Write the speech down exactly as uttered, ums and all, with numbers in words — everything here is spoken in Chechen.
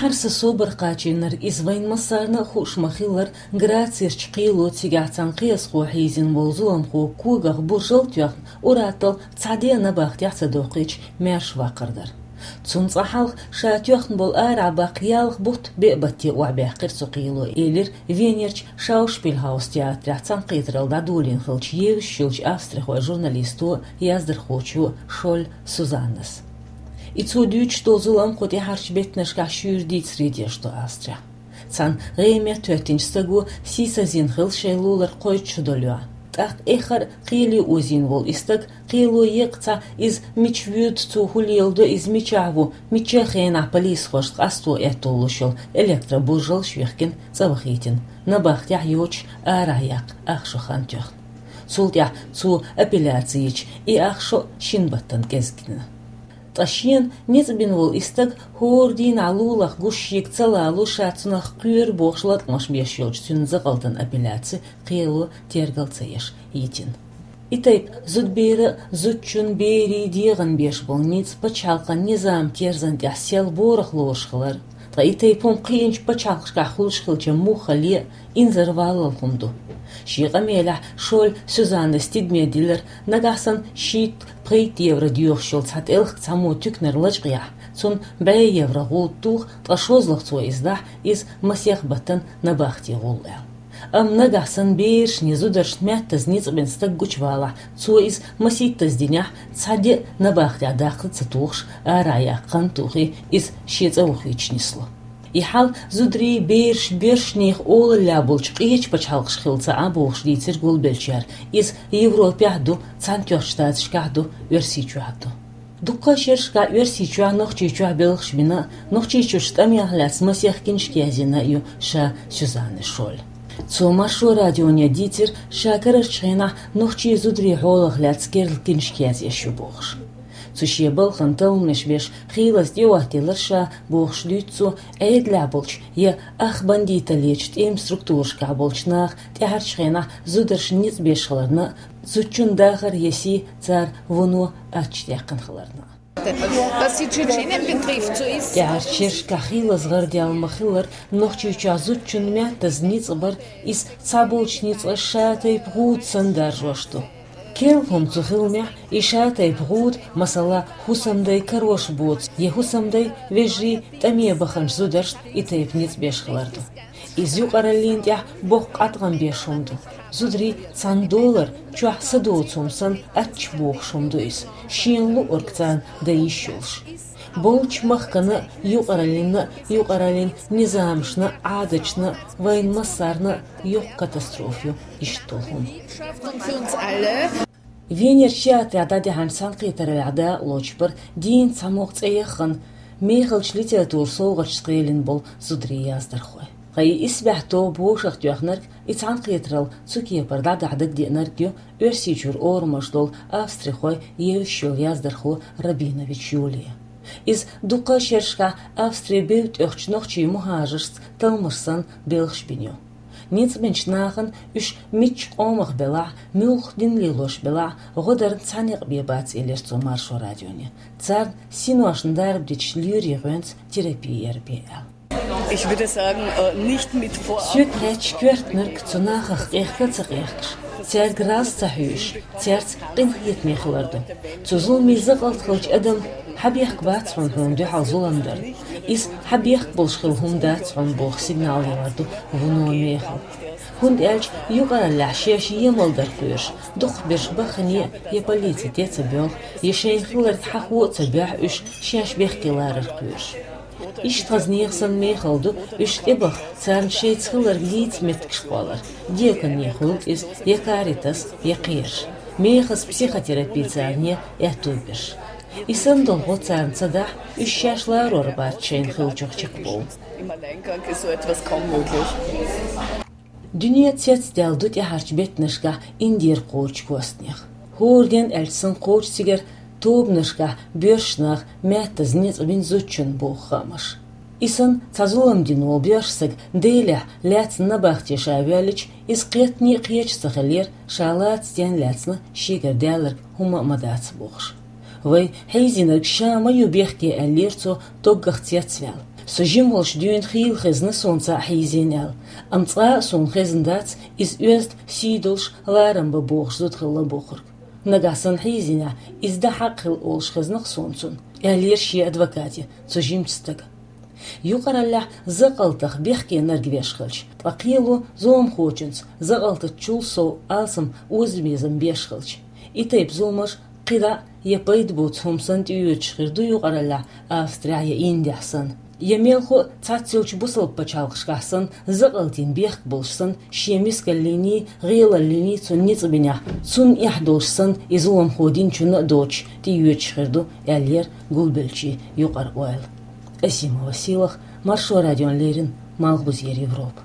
Хьарса собар кхачийнарг иза вайн массарна а хууш ма-хиллара, Грацерчу кхело цигахь цхьана кхиазхо хьийзина волу зуламхо когах буржал а тоьхна, ур-атталла цхьа де а набахтехь ца доккхуьйтуш маьрша ваккхар дара. Цунна цкъа хьалха ша тоьхна болу арахь баккха ялх бутт беа батте охьабаьккхира цу кхело, элира Венерчу Шаушпильхаус театрехь цхьаьнакхетаралла дӀадолийна хиллачу евзаш йолчу австрихойн журналисто а, яздархочо а Шоль Сюзаннас. И цо дуьйцуш долу зулам кху тӀаьхьарчу беттанашкахь шуьйра дийцаре деш ду Австрехь. Цхьана гӀеметта хӀоьттинчу стаго сийсазйина хилла шайн лулара кхойтта шо долуьйтуш. ТӀаккха эххар а кхеле озийна волу и стаг кхело екъча, иза мича воьду, цо хӀун леладо, иза мичахь ву, мича хенахь полисхошна къасто аьтто луш йолу электробуржалш а йихкина, цӀа вахийтина, набахтехь йоцуш арахь яккха ах шо хан тоьхна. Цул тӀаьхьа цо апелляци йича, и ах шо а шина баттана кӀезиг гина. Ткъа шена ницкъ бина волу и стаг хӀора дийнахь лулахь гуш шега ца лало, ша цунах кхоьру бохуш латкъамаш беш йолчу цуьнан закъалтан апелляци кхело тергал ца еш йитина. И тайпа зудберан а, зудчун, берийн дегӀан беш болу ницкъ пачхьалкхан низаман терзан тӀехь сел борах лоруш хилар, ткъа и тайпа хӀума кхиъначу пачхьалкхашкахь хуьлуш хилча муха ле а, инзарваллал хӀума ду. Шен къамелехь Шоль Сюзаннас тидаме диллира, нагахь санна шийтта-пхийтта евро доьхуш йолу цхьа тӀелхиг цхьаммо туьканара лачкъаяхь, цунна бӀе евро гӀуда туху, ткъа шозлагӀа цо иза дахь, иза масех баттана набахте гӀуллу аьлла. Амма нагахь санна берашна я зударшна маьттаза ницкъ бина стаг гучувалахь, цо иза масийттаза динехь, цхьа де а набахтехь даккха ца тухуш, арахь яккха хан а тухий, иза шен цӀа вахийтуш нисло. И хьал зударий, бераш боьршнехан олаллехь болчу къечу пачхьалкхашкахь хилла ца Ӏа бохуш дийцира гулбеллачара. Иза Европехь а ду, Цхьаьнатоьхначу Штаташкахь а ду, Оьрсийчохь а ду. Дуккха а шерашкахь Оьрсийчохь, Нохчийчохь белхаш бина, Нохчийчуьрчу тӀамех лаьцна масех киншка язйина а ю ша Сюзанна Шоль. Цо Маршо радионе дийцира, ша карарчу хенахь нохчийн зударийн хьолах лаьцна керла киншка язъеш ю бохуш. Цу шен балхана талламаш беш, хийлаза тӀеоттаелира ша бохуш дуьйцу цо, Ӏедалехь болчу я ах бандиталлечу тӀеман структурашкахь болчу наха тӀаьхьарчу хенахь зударшна ницкъ беш хиларна а, зудчун дахар я сий цара вуно аттачу даьккхина хиларна а. Was die Tschetschenen betrifft, so ist ТӀаьхьарчу шерашкахь хийлаза гӀарадаьлла ма-хиллара, Нохчийчохь зудчунна маьттаза ницкъ бар, иза цхьаболчу ницкъаша ша-тайпа гӀуда санна даржош ду. Керла хӀума цу хиламехь, и ша-тайпа гӀуда, масала, хӀусамдай карош боцу я хӀусамдай, вежарий тӀаме баханчу зударшна и тайпа ницкъ беш хилар ду. Иза юкъараллина тӀехь боккха къадгӀам беш хӀума ду. Зударий цхьана долара чохь са доцу хӀума санна аттачу бохуш хӀума ду иза, шена луург царна дан йиш йолуш. Болчу махкана а, юкъараллина а, юкъараллин низамашна а, Ӏадаташна а, вайн массарна а йоккха катастрофа ю иштта долу хӀума. Für uns alle. Венерчу театрехь дӀадахьанчу цхьаьнакхетараллехь дакъалоцуш бара дийнна цхьамогӀа цӀе яххана, мехалчу литературан совгӀаташца кхелина болу зударий, яздархой. Ткъа и исбаьхьа тоба вовшахтоьхнарг, и цхьаьнакхетаралла цу кепара дӀадахьа дагадеанарг ю Оьрсийчуьра орамаш долу австрихой евзаш йолу яздархо Рабинович Юлия. Иза дуккха а шерашкахь Австрин бев тӀехьчу нохчийн мухӀажаршца талламаш санна белхаш бина ю. Ницкъ бинчу нахана, уьш мичча къомах белахь а, муьлхха дин лелош белахь а, гӀо дарна цхьа некъ бен бац, элира цо Маршо радионе. Царна синошна дарба дитича лоьрийн гӀоьнца терапи яр бен аьлла. Ich würde sagen, äh, nicht mit Vorab. Соьга хаьттича, коьртаниг цу нахах къехка а ца къехкаш, цаьрга раз а ца хьоьжуш, цаьрца къинхетаме хилар ду. Цу зуламийн закъалт хилча адам хьан бехк бац хьуна, хьуна дуьхьал зулам дар. Иза хьан бехк болуш хилла хӀума дац хьуна боху сигнал ялар ду вуно мехала. ХӀунда аьлча юкъараллехь шаьш емал дар кхоьруш, дукхахберш баххане а я полици тӀе ца боьлху, я шайна хилларг хьахо а ца боьхьу уьш шаьш бехке ларар кхоьруш. Иштта хаза нехан санна мехала ду уьш тӀебаха, царна шайца хилларг дийца меттигаш кхоллар, декане хуьлу иза, я Каритас, я кхераш. Мехаза психотерапи царна ян аьтту берш. И санна долу гӀо царна ца дахь, уьш шаьш ларор бац шайна хиллачух чекхбовла. Im Alleingang ist so etwas kaum möglich. Дуьне цецдаьлла ду тӀаьхьарчу беттанашкахь Индера кхочу костнех. ХӀора ден аьлча санна кхочу цигара тобанашкахь боьрша нах маьттаза ницкъ бина зудчунна боху хаамаш. И санна цхьа зулам дина волу боьрша стаг Делихь лаьцна набахте ша воьллича, иза кхетане а кхеташ ца хиллера, ша лаца стенна лаьцна шегара даьлларг хӀумма а ма дац бохуш. Вай хьийзийнарг ша ма ю бехке, аьллера цо, доггах цецваьлла. Со жима волуш дуьйна хийла хезна суна цхьаъ хьийзийна аьлла, амма цкъа а суна хезна дац иза оьзда сий долуш ларам бан бохуш зуда хилла бохург. Нагахь санна хьийзийнехь, иза дан хьакъ хилла олуш хезна-кх суна цунна, аьллера шен адвокате цу жимачу стага. Юкъараллехь закъалтах бехкенарг веш хилча, ткъа кхело зуламхочуьнца закъалтачул сов алсам озабезам беш хилча, и тайпа зуламаш кхидӀа а я пайда боцу хӀума санна тӀеоьцуш хир ду юкъараллехь Австрехь я Индехь санна. Я мелхо а цхьаццайолчу бусалба пачхьалкхашкахь санна, закъалтийн бехк болуш санна, шен мискаллиний, гӀелаллиний цунна ницкъ бинехь, цунна эхь долуш санна, и зуламхо динчунна а доцуш, тӀеоьцуш хир ду, аьллера гулбеллачийн юкъара ойла. Асимова Сийлаха, Маршо радиона леррина, Малхбузера Европа.